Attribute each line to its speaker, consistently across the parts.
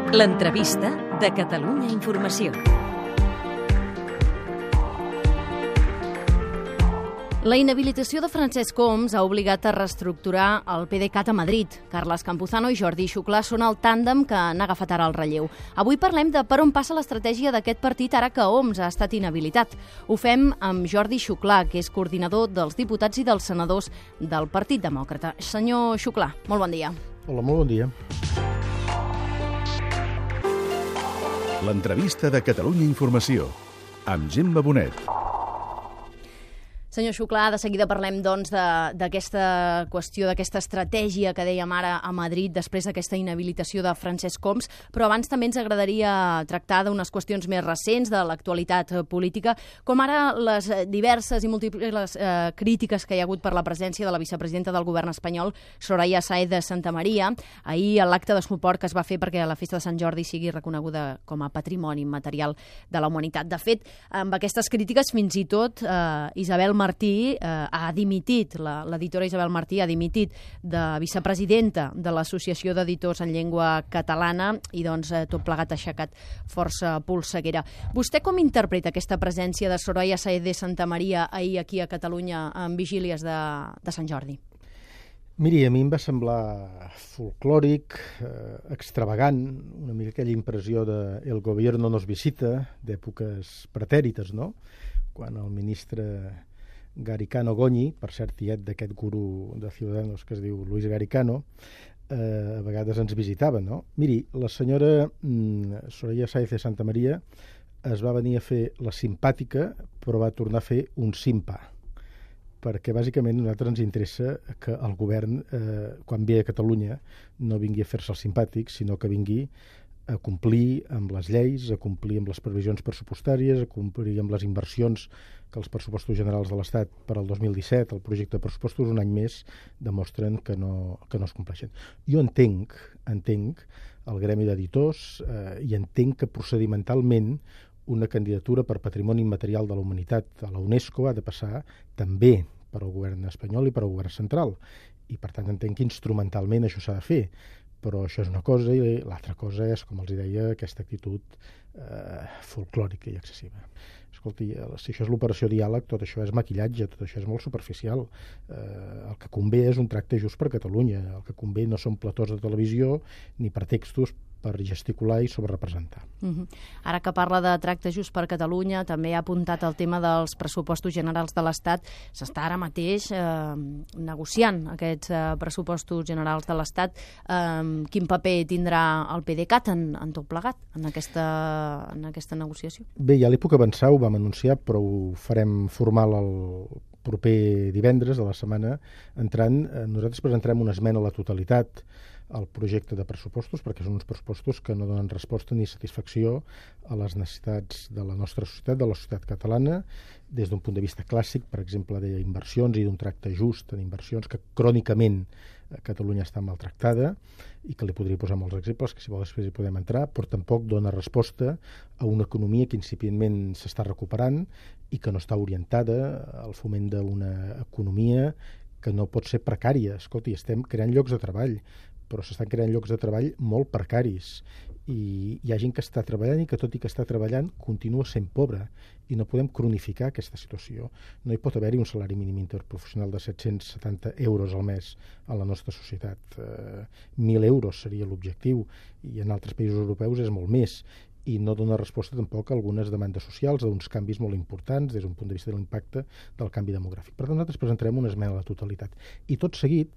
Speaker 1: L'entrevista de Catalunya Informació. La inhabilitació de Francesc Homs ha obligat a reestructurar el PDeCAT a Madrid. Carles Campuzano i Jordi Xuclà són el tàndem que han agafat ara el relleu. Avui parlem de per on passa l'estratègia d'aquest partit ara que Homs ha estat inhabilitat. Ho fem amb Jordi Xuclà, que és coordinador dels diputats i dels senadors del Partit Demòcrata. Senyor Xuclà, molt bon dia.
Speaker 2: Hola, molt bon dia.
Speaker 3: L'entrevista de Catalunya Informació, amb Gemma Bonet.
Speaker 1: Senyor Xuclà, de seguida parlem doncs, d'aquesta qüestió, d'aquesta estratègia que dèiem ara a Madrid després d'aquesta inhabilitació de Francesc Homs, però abans també ens agradaria tractar d'unes qüestions més recents de l'actualitat política, com ara les diverses i múltiples crítiques que hi ha hagut per la presència de la vicepresidenta del govern espanyol, Soraya Sáenz de Santamaría, ahir a l'acte de suport que es va fer perquè la festa de Sant Jordi sigui reconeguda com a patrimoni immaterial de la humanitat. De fet, amb aquestes crítiques, fins i tot Isabel Martí ha dimitit, l'editora Isabel Martí ha dimitit de vicepresidenta de l'Associació d'Editors en Llengua Catalana i doncs tot plegat ha aixecat força polseguera. Vostè com interpreta aquesta presència de Soraya Sáenz de Santamaría ahir aquí a Catalunya en vigílies de Sant Jordi?
Speaker 2: Miri, a mi em va semblar folclòric, extravagant, una mica aquella impressió de el gobierno nos visita, d'èpoques pretèrites, no? Quan el ministre Garicano Goñi, per cert tiet d'aquest guru de Ciudadanos que es diu Luis Garicano, a vegades ens visitava, no? Miri, la senyora Soraya Sáenz de Santamaría es va venir a fer la simpàtica, però va tornar a fer un simpa, perquè bàsicament a nosaltres ens interessa que el govern, quan ve a Catalunya, no vingui a fer-se el simpàtic, sinó que vingui a complir amb les lleis, a complir amb les previsions pressupostàries, a complir amb les inversions que els pressupostos generals de l'Estat per al 2017, el projecte de pressupostos, un any més, demostren que no es compleixen. Jo entenc el gremi d'editors i entenc que procedimentalment una candidatura per patrimoni immaterial de la humanitat a la UNESCO ha de passar també per al govern espanyol i per al govern central. I per tant entenc que instrumentalment això s'ha de fer. Però això és una cosa i l'altra cosa és, com els deia, aquesta actitud folclòrica i excessiva. Escolti, si això és l'operació diàleg, tot això és maquillatge, tot això és molt superficial. El que convé és un tracte just per Catalunya. El que convé no són platós de televisió ni pretextos per gesticular i sobrerepresentar.
Speaker 1: Ara que parla de tracte just per Catalunya, també ha apuntat el tema dels pressupostos generals de l'Estat. S'està ara mateix negociant aquests pressupostos generals de l'Estat. Quin paper tindrà el PDeCAT en tot plegat, en aquesta negociació?
Speaker 2: Bé, ja li puc avançar, ho vam anunciar, però ho farem formal el proper divendres de la setmana entrant. Nosaltres presentarem una esmena a la totalitat al projecte de pressupostos, perquè són uns pressupostos que no donen resposta ni satisfacció a les necessitats de la nostra societat, de la societat catalana, des d'un punt de vista clàssic, per exemple, d'inversions i d'un tracte just en inversions, que crònicament Catalunya està maltractada i que li podria posar molts exemples, que si vol després hi podem entrar, però tampoc dona resposta a una economia que incipientment s'està recuperant i que no està orientada al foment d'una economia que no pot ser precària. Escolti, estem creant llocs de treball, però s'estan creant llocs de treball molt precaris i hi ha gent que està treballant i que tot i que està treballant continua sent pobre i no podem cronificar aquesta situació. No hi pot haver-hi un salari mínim interprofessional de 770 euros al mes a la nostra societat. 1.000 euros seria l'objectiu i en altres països europeus és molt més i no dona resposta tampoc a algunes demandes socials, a uns canvis molt importants des d'un punt de vista de l'impacte del canvi demogràfic. Per tant, nosaltres presentarem una esmena a la totalitat. I tot seguit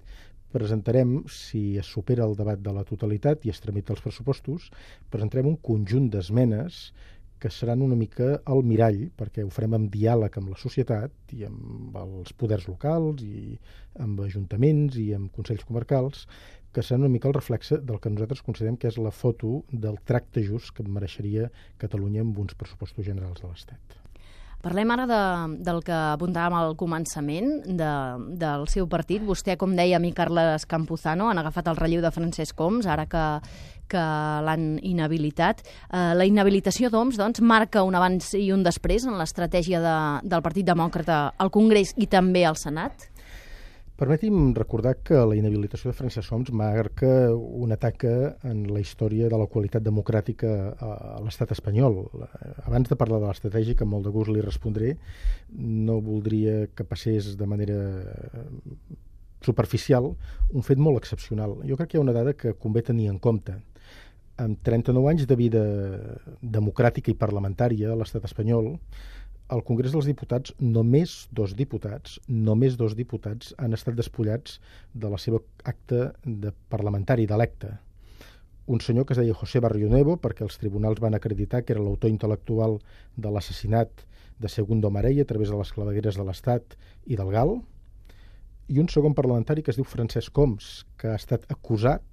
Speaker 2: presentarem, si es supera el debat de la totalitat i es tramita els pressupostos, presentarem un conjunt d'esmenes que seran una mica el mirall, perquè ho farem en diàleg amb la societat i amb els poders locals i amb ajuntaments i amb consells comarcals, que serà una mica el reflexe del que nosaltres considerem que és la foto del tracte just que mereixeria Catalunya amb uns pressupostos generals de l'Estat.
Speaker 1: Parlem ara del que apuntàvem al començament del seu partit. Vostè, com deia a mi, Carles Campuzano, han agafat el relleu de Francesc Homs, ara que l'han inhabilitat. La inhabilitació d'Homs, doncs, marca un abans i un després en l'estratègia del Partit Demòcrata al Congrés i també al Senat?
Speaker 2: Permeti'm recordar que la inhabilitació de Francesc Homs marca una taca en la història de la qualitat democràtica a l'estat espanyol. Abans de parlar de l'estratègia, que amb molt de gust li respondré, no voldria que passés de manera superficial un fet molt excepcional. Jo crec que hi ha una dada que convé tenir en compte. Amb 39 anys de vida democràtica i parlamentària a l'estat espanyol, al Congrés dels Diputats només dos diputats han estat despullats de la seva acta de parlamentari d'electe. Un senyor que es deia José Barrionuevo, perquè els tribunals van acreditar que era l'autor intel·lectual de l'assassinat de Segundo Marell a través de les clavegueres de l'Estat i del GAL, i un segon parlamentari que es diu Francesc Homs, que ha estat acusat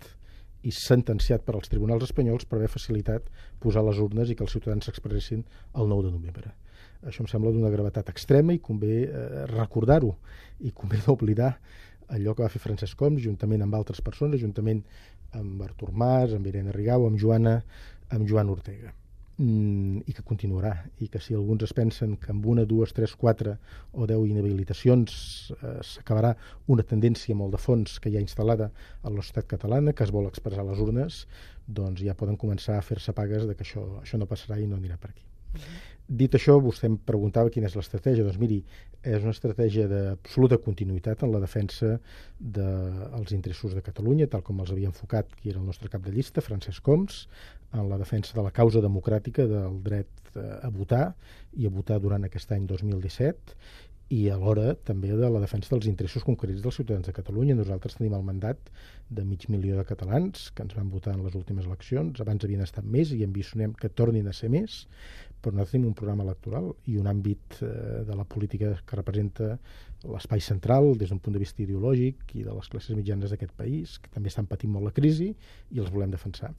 Speaker 2: i sentenciat per als tribunals espanyols per haver facilitat posar les urnes i que els ciutadans s'expressessin el 9 de novembre. Això em sembla d'una gravetat extrema i convé recordar-ho i convé no oblidar allò que va fer Francesc Homs juntament amb altres persones, juntament amb Artur Mas, amb Irene Rigau, amb Joan Ortega. I que continuarà, i que si alguns es pensen que amb 1, 2, 3, 4 o 10 inhabilitacions s'acabarà una tendència molt de fons que hi ha instal·lada a la societat catalana, que es vol expressar a les urnes, doncs ja poden començar a fer-se pagues de que això no passarà i no anirà per aquí. Dit això, vostè em preguntava quina és l'estratègia. Doncs miri, és una estratègia d'absoluta continuïtat en la defensa dels interessos de Catalunya, tal com els havia enfocat qui era el nostre cap de llista, Francesc Homs, en la defensa de la causa democràtica del dret a votar i a votar durant aquest any 2017, i alhora també de la defensa dels interessos concrets dels ciutadans de Catalunya. Nosaltres tenim el mandat de 500.000 de catalans que ens van votar en les últimes eleccions. Abans havien estat més i ambicionem que tornin a ser més, però nosaltres tenim un programa electoral i un àmbit de la política que representa l'espai central des d'un punt de vista ideològic i de les classes mitjanes d'aquest país, que també estan patint molt la crisi i els volem defensar.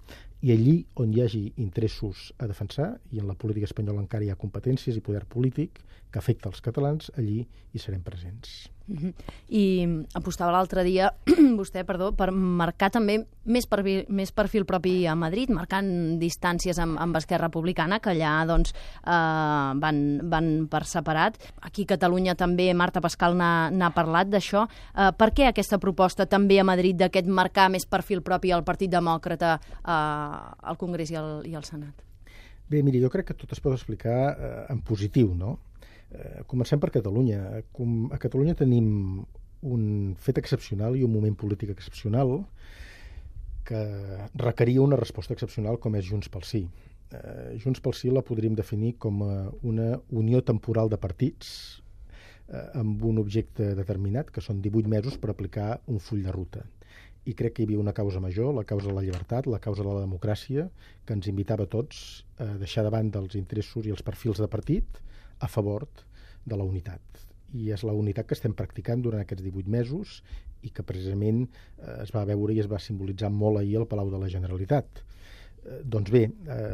Speaker 2: I allí on hi hagi interessos a defensar, i en la política espanyola encara hi ha competències i poder polític que afecta els catalans, allí hi serem presents.
Speaker 1: I apostava l'altre dia vostè, per marcar també més perfil propi a Madrid, marcant distàncies amb Esquerra Republicana, que allà doncs, van per separat. Aquí a Catalunya també Marta Pascal n'ha parlat d'això. Per què aquesta proposta també a Madrid d'aquest marcar més perfil propi al Partit Demòcrata al Congrés i al Senat?
Speaker 2: Bé, miri, jo crec que tot es pot explicar en positiu, no? Comencem per Catalunya. A Catalunya tenim un fet excepcional i un moment polític excepcional que requeria una resposta excepcional com és Junts pel Sí. Junts pel Sí la podríem definir com una unió temporal de partits amb un objecte determinat, que són 18 mesos per aplicar un full de ruta. I crec que hi havia una causa major, la causa de la llibertat, la causa de la democràcia, que ens invitava a tots a deixar davant dels interessos i els perfils de partit a favor de la unitat. I és la unitat que estem practicant durant aquests 18 mesos i que precisament es va veure i es va simbolitzar molt ahir al Palau de la Generalitat. Doncs bé,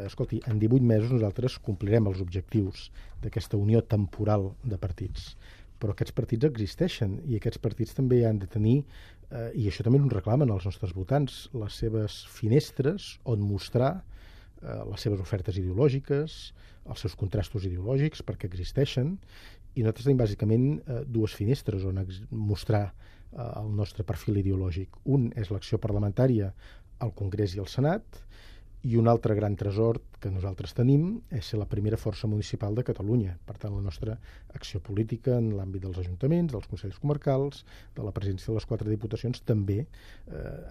Speaker 2: escolti, en 18 mesos nosaltres complirem els objectius d'aquesta unió temporal de partits. Però aquests partits existeixen i aquests partits també han de tenir, i això també ho reclamen els nostres votants, les seves finestres on mostrar les seves ofertes ideològiques, els seus contrastos ideològics, perquè existeixen, i nosaltres tenim bàsicament dues finestres on mostrar el nostre perfil ideològic. Un és l'acció parlamentària al Congrés i al Senat, i un altre gran tresor que nosaltres tenim és ser la primera força municipal de Catalunya. Per tant, la nostra acció política en l'àmbit dels ajuntaments, dels consells comarcals, de la presència de les 4 diputacions, també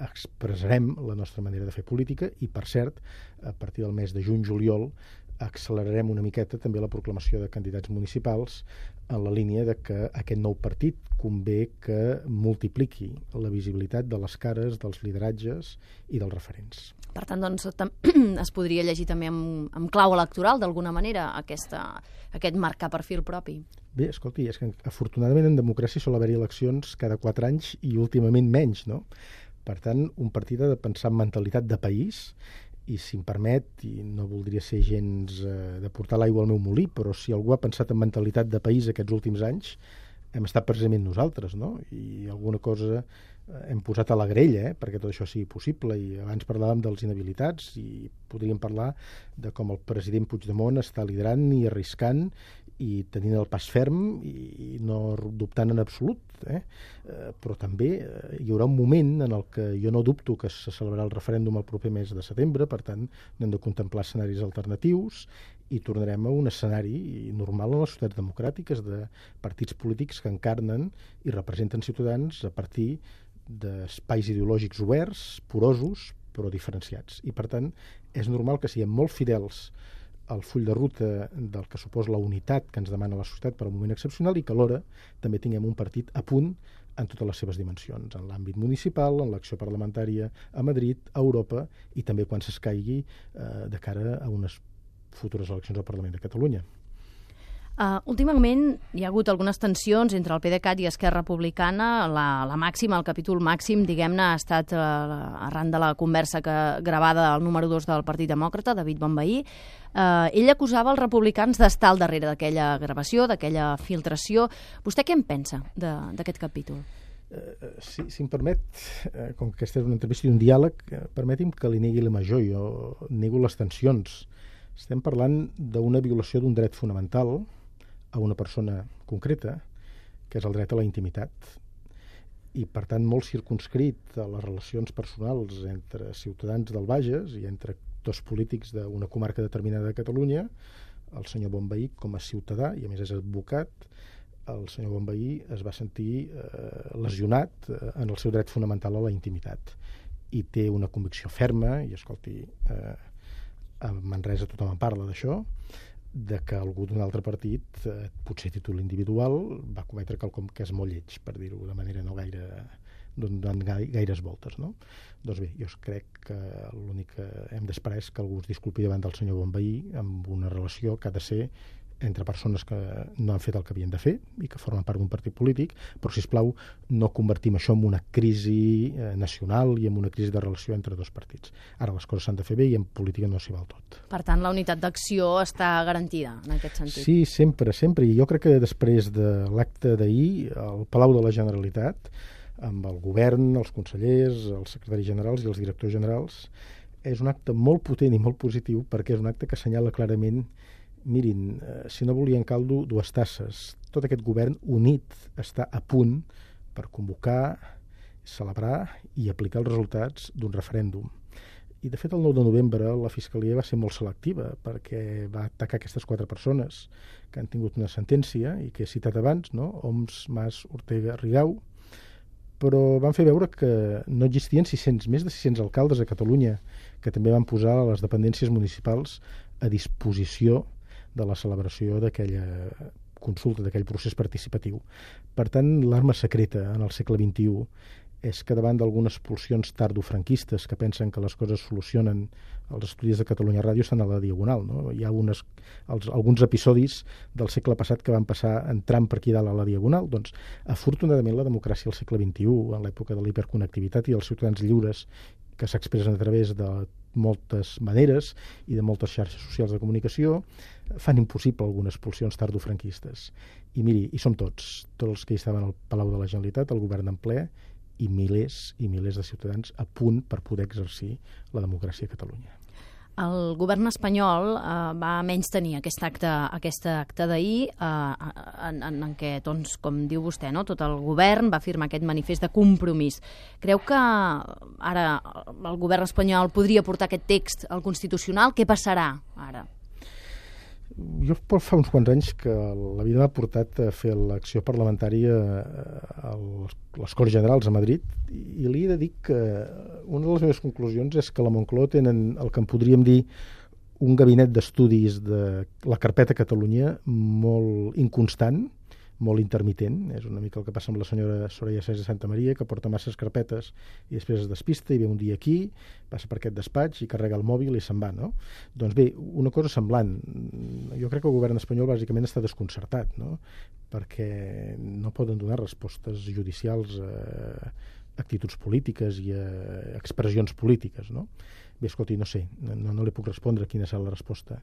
Speaker 2: expressarem la nostra manera de fer política i, per cert, a partir del mes de juny-juliol accelerarem una miqueta també la proclamació de candidats municipals en la línia de que aquest nou partit convé que multipliqui la visibilitat de les cares, dels lideratges i dels referents.
Speaker 1: Per tant, doncs, es podria llegir també amb clau electoral, d'alguna manera, aquest marcar perfil propi.
Speaker 2: Bé, escolti, és que afortunadament en democràcia sol haver-hi eleccions cada 4 anys i últimament menys, no? Per tant, un partit ha de pensar en mentalitat de país i, si em permet, i no voldria ser gens de portar l'aigua al meu molí, però si algú ha pensat en mentalitat de país aquests últims anys, hem estat precisament nosaltres, no? I alguna cosa hem posat a la grella perquè tot això sigui possible, i abans parlàvem dels inhabilitats i podríem parlar de com el president Puigdemont està liderant i arriscant i tenint el pas ferm i no dubtant en absolut, però també hi haurà un moment en el que jo no dubto que se celebrarà el referèndum el proper mes de setembre, per tant hem de contemplar escenaris alternatius i tornarem a un escenari normal en les societats democràtiques de partits polítics que encarnen i representen ciutadans a partir d'espais ideològics oberts, porosos, però diferenciats. I, per tant, és normal que siguem molt fidels al full de ruta del que suposa la unitat que ens demana la societat per a un moment excepcional i que alhora també tinguem un partit a punt en totes les seves dimensions, en l'àmbit municipal, en l'acció parlamentària a Madrid, a Europa i també quan s'escaigui de cara a unes futures eleccions al Parlament de Catalunya.
Speaker 1: Últimament hi ha hagut algunes tensions entre el PDeCAT i Esquerra Republicana. La màxima, el capítol màxim, diguem-ne, ha estat arran de la conversa gravada al número 2 del Partit Demòcrata, David Bonvehí. Ell acusava els republicans d'estar al darrere d'aquella gravació, d'aquella filtració. Vostè què en pensa d'aquest capítol?
Speaker 2: Si em permet, com que aquesta és una entrevista i un diàleg, permeti'm que li negui la major. Jo nego les tensions. Estem parlant d'una violació d'un dret fonamental a una persona concreta, que és el dret a la intimitat, i per tant molt circumscrit a les relacions personals entre ciutadans del Bages i entre actors polítics d'una comarca determinada de Catalunya. El senyor Bonvehí, com a ciutadà, i a més és advocat, el senyor Bonvehí es va sentir lesionat en el seu dret fonamental a la intimitat i té una convicció ferma, i escolti, a Manresa tothom en parla d'això, de que algú d'un altre partit, potser a títol individual, va cometre quelcom que és molt lleig, per dir-ho de manera no gaire donant gaires voltes, no? Doncs bé, jo crec que l'únic que hem d'esperar és que algú es disculpi davant del senyor Bonvehí amb una relació que ha de ser entre persones que no han fet el que havien de fer i que formen part d'un partit polític, però, sisplau, no convertim això en una crisi nacional i en una crisi de relació entre dos partits. Ara les coses s'han de fer bé i en política no s'hi val tot.
Speaker 1: Per tant, la unitat d'acció està garantida en aquest sentit?
Speaker 2: Sí, sempre. I jo crec que després de l'acte d'ahir, al Palau de la Generalitat, amb el govern, els consellers, els secretaris generals i els directors generals, és un acte molt potent i molt positiu perquè és un acte que assenyala clarament. Mirin, si no volien caldo, dues tasses. Tot aquest govern unit està a punt per convocar, celebrar i aplicar els resultats d'un referèndum. I, de fet, el 9 de novembre la Fiscalia va ser molt selectiva perquè va atacar aquestes 4 persones que han tingut una sentència i que he citat abans, no? Homs, Mas, Ortega, Rigau, però van fer veure que no existien més de 600 alcaldes a Catalunya que també van posar les dependències municipals a disposició de la celebració d'aquella consulta, d'aquell procés participatiu. Per tant, l'arma secreta en el segle XXI és que davant d'algunes pulsions tardofranquistes que pensen que les coses solucionen, els estudis de Catalunya Ràdio estan a la diagonal, no? Hi ha alguns episodis del segle passat que van passar entrant per aquí dalt a la diagonal. Doncs, afortunadament, la democràcia al segle XXI, en l'època de l'hiperconnectivitat i dels ciutadans lliures que s'expressen a través de moltes maneres i de moltes xarxes socials de comunicació, fan impossible algunes pulsions tardofranquistes. I miri, hi som tots els que hi estaven al Palau de la Generalitat, el govern en ple, i milers de ciutadans a punt per poder exercir la democràcia a Catalunya.
Speaker 1: El govern espanyol va menystenir aquest acte d'ahir en què, doncs, com diu vostè, no? Tot el govern va firmar aquest manifest de compromís. Creu que ara el govern espanyol podria portar aquest text al Constitucional? Què passarà ara?
Speaker 2: Jo fa uns quants anys que la vida m'ha portat a fer l'acció parlamentària a les Corts Generals a Madrid i li he de dir que una de les meves conclusions és que la Moncloa tenen el que en podríem dir un gabinet d'estudis de la carpeta Catalunya molt inconstant, molt intermitent. És una mica el que passa amb la senyora Soraya Sáenz de Santamaría, que porta masses carpetes i després es despista i ve un dia aquí, passa per aquest despatx i carrega el mòbil i se'n va, no? Doncs bé, una cosa semblant. Jo crec que el govern espanyol bàsicament està desconcertat, no? Perquè no poden donar respostes judicials a actituds polítiques i a expressions polítiques, no? Bé, escolti, no sé, no li puc respondre quina serà la resposta,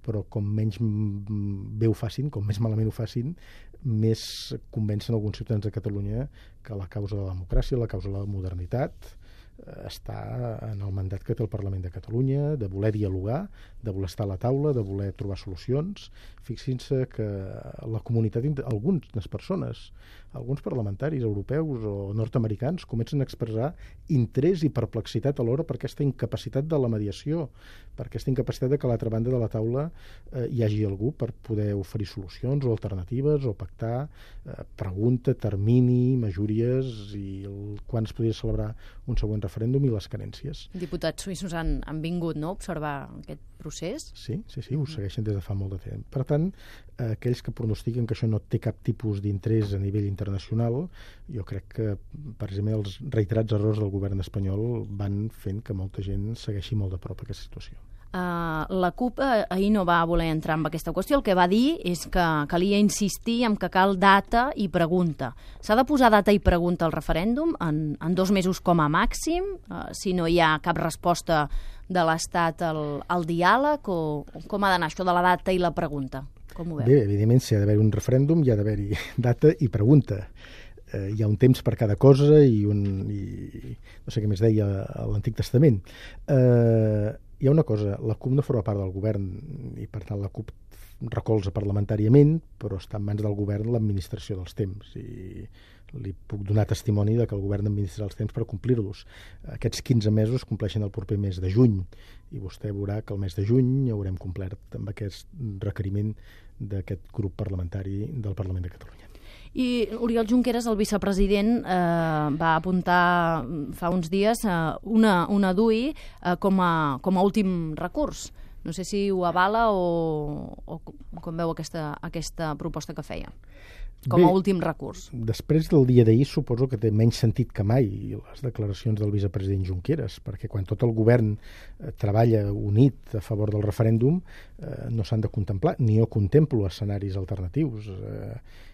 Speaker 2: però com menys bé ho facin, com més malament ho facin, més convencen alguns ciutadans de Catalunya que la causa de la democràcia, la causa de la modernitat, està en el mandat que té el Parlament de Catalunya, de voler dialogar, de voler estar a la taula, de voler trobar solucions. Fixin-se que la comunitat, algunes persones, alguns parlamentaris europeus o nord-americans comencen a expressar interès i perplexitat alhora per aquesta incapacitat de la mediació, per aquesta incapacitat de que a l'altra banda de la taula hi hagi algú per poder oferir solucions o alternatives o pactar pregunta, termini, majories i quan es podria celebrar un següent referèndum i les carències.
Speaker 1: Diputats suïssos han vingut, no?, a observar aquest procés?
Speaker 2: Sí, ho segueixen des de fa molt de temps. Per tant, aquells que pronostiquen que això no té cap tipus d'interès a nivell internacional, jo crec que, precisament, els reiterats errors del govern espanyol van fent que molta gent segueixi molt de prop aquesta situació.
Speaker 1: La CUP ahir no va voler entrar en aquesta qüestió. El que va dir és que calia insistir en que cal data i pregunta. S'ha de posar data i pregunta al referèndum en 2 mesos com a màxim, si no hi ha cap resposta de l'Estat al diàleg, o com ha d'anar això de la data i la pregunta? Com ho veu?
Speaker 2: Bé, evidentment, si ha d'haver un referèndum hi ha d'haver-hi data i pregunta. Hi ha un temps per cada cosa i no sé què més deia a l'Antic Testament. Hi ha una cosa, la CUP no forma part del govern i per tant la CUP recolza parlamentàriament, però està en mans del govern l'administració dels temps i li puc donar testimoni de que el govern administra els temps per complir-los. Aquests 15 mesos compleixen el proper mes de juny i vostè veurà que el mes de juny haurem complert amb aquest requeriment d'aquest grup parlamentari del Parlament de Catalunya.
Speaker 1: I Oriol Junqueras, el vicepresident, va apuntar fa uns dies una DUI com a últim recurs. No sé si ho avala o com veu aquesta proposta que feia, com a últim recurs.
Speaker 2: Després del dia d'ahir suposo que té menys sentit que mai les declaracions del vicepresident Junqueras, perquè quan tot el govern treballa unit a favor del referèndum no s'han de contemplar, ni jo contemplo escenaris alternatius.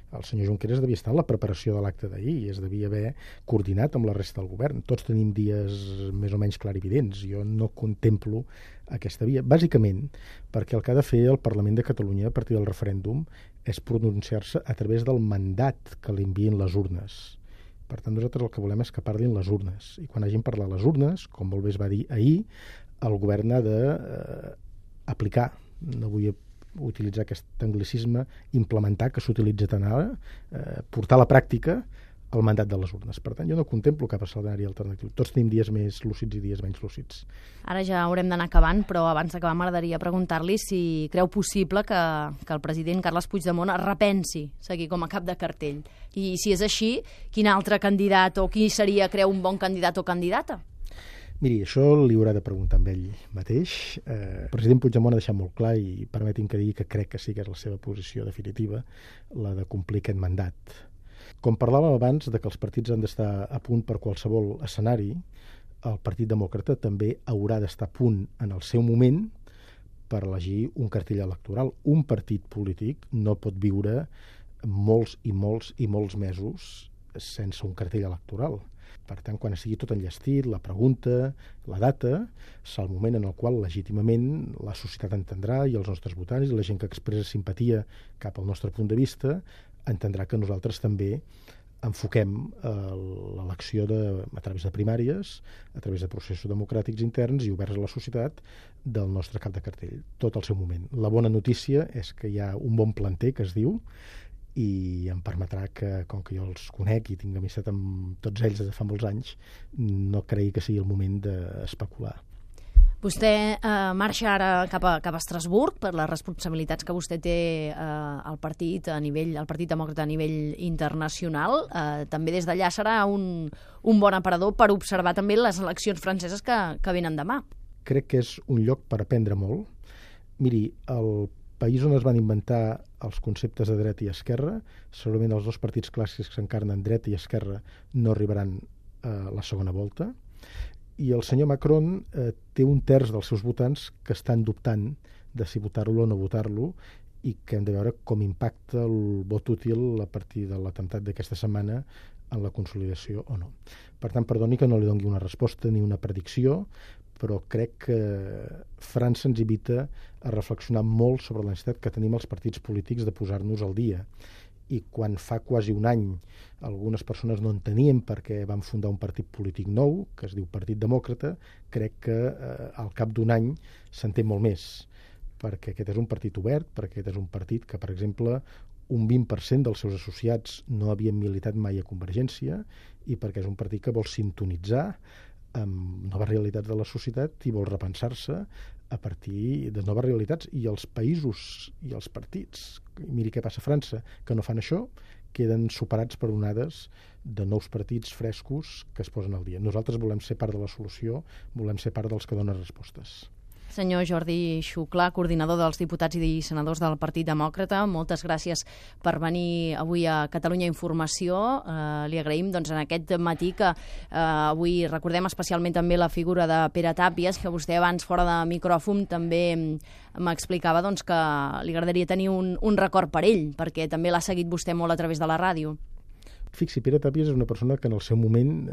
Speaker 2: El senyor Junqueras devia estar en la preparació de l'acte d'ahir i es devia haver coordinat amb la resta del govern. Tots tenim dies més o menys clarividents. Jo no contemplo aquesta via, bàsicament perquè el que ha de fer el Parlament de Catalunya a partir del referèndum és pronunciar-se a través del mandat que li envien les urnes. Per tant, nosaltres el que volem és que parlin les urnes. I quan hagin parlat les urnes, com molt bé es va dir ahir, el govern ha d'aplicar, no vull utilitzar aquest anglicisme, implementar, que s'utilitza tant ara, portar a la pràctica el mandat de les urnes. Per tant, jo no contemplo cap escenari alternatiu. Tots tenim dies més lúcids i dies menys lúcids.
Speaker 1: Ara ja haurem d'anar acabant, però abans d'acabar m'agradaria preguntar-li si creu possible que el president Carles Puigdemont es repensi seguir com a cap de cartell. I si és així, quin altre candidat o qui seria, creu, un bon candidat o candidata?
Speaker 2: Miri, això li haurà de preguntar amb ell mateix. El president Puigdemont ha deixat molt clar, i permeti'm que digui que crec que sí que és la seva posició definitiva, la de complir aquest mandat. Com parlàvem abans de que els partits han d'estar a punt per qualsevol escenari, el Partit Demòcrata també haurà d'estar a punt en el seu moment per elegir un cartell electoral. Un partit polític no pot viure molts i molts i molts mesos sense un cartell electoral. Per tant, quan estigui tot enllestit, la pregunta, la data, serà el moment en el qual legítimament la societat entendrà, i els nostres votants i la gent que expressa simpatia cap al nostre punt de vista entendrà que nosaltres també enfoquem l'elecció a través de primàries, a través de processos democràtics interns i oberts a la societat del nostre cap de cartell, tot al seu moment. La bona notícia és que hi ha un bon planter, que es diu, i em permetrà que, com que jo els conec i tinc amistat amb tots ells des de fa molts anys, no cregui que sigui el moment d'especular.
Speaker 1: Vostè marxa ara cap a Estrasburg per les responsabilitats que vostè té al Partit Demòcrata a nivell internacional. També des d'allà serà un bon aparador per observar també les eleccions franceses que venen demà.
Speaker 2: Crec que és un lloc per aprendre molt. Miri, el país on es van inventar els conceptes de dreta i esquerra, segurament els dos partits clàssics que s'encarnen dreta i esquerra no arribaran a la segona volta, i el senyor Macron té un terç dels seus votants que estan dubtant de si votar-lo o no votar-lo, i que hem de veure com impacta el vot útil a partir de l'atemptat d'aquesta setmana en la consolidació o no. Per tant, perdoni que no li doni una resposta ni una predicció, però crec que França ens invita a reflexionar molt sobre la necessitat que tenim els partits polítics de posar-nos al dia i quan fa quasi un any algunes persones no entenien perquè vam fundar un partit polític nou, que es diu Partit Demòcrata, crec que al cap d'un any s'entén molt més, perquè aquest és un partit obert, perquè aquest és un partit que, per exemple, un 20% dels seus associats no havien militat mai a Convergència i perquè és un partit que vol sintonitzar amb noves realitats de la societat i vol repensar-se a partir de noves realitats. I els països i els partits, miri què passa a França, que no fan això, queden superats per onades de nous partits frescos que es posen al dia. Nosaltres volem ser part de la solució, volem ser part dels que donen respostes.
Speaker 1: Senyor Jordi Xuclà, coordinador dels diputats i senadors del Partit Demòcrata, moltes gràcies per venir avui a Catalunya Informació. Li agraïm en aquest matí que avui recordem especialment també la figura de Pere Tàpies, que vostè abans, fora de micròfon, també m'explicava que li agradaria tenir un record per ell, perquè també l'ha seguit vostè molt a través de la ràdio.
Speaker 2: Fixi, Pere Tàpies és una persona que en el seu moment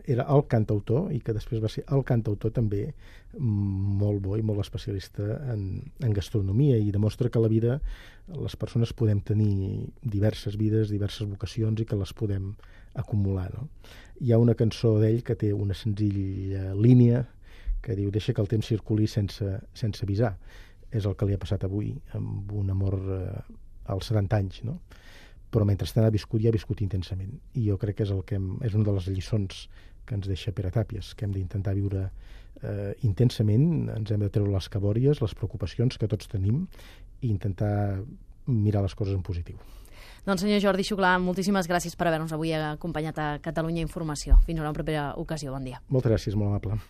Speaker 2: era el cantautor i que després va ser el cantautor també molt bo i molt especialista en gastronomia, i demostra que a la vida les persones podem tenir diverses vides, diverses vocacions i que les podem acumular, no? Hi ha una cançó d'ell que té una senzilla línia que diu: deixa que el temps circuli sense avisar. És el que li ha passat avui amb un amor als 70 anys, no? Però mentrestant ha viscut intensament. I jo crec que és una de les lliçons que ens deixa Pere Tàpies, que hem d'intentar viure intensament, ens hem de treure les cabòries, les preocupacions que tots tenim i intentar mirar les coses en positiu.
Speaker 1: Doncs senyor Jordi Xuclà, moltíssimes gràcies per haver-nos avui acompanyat a Catalunya Informació. Fins a una propera ocasió. Bon dia.
Speaker 2: Moltes gràcies, molt amable.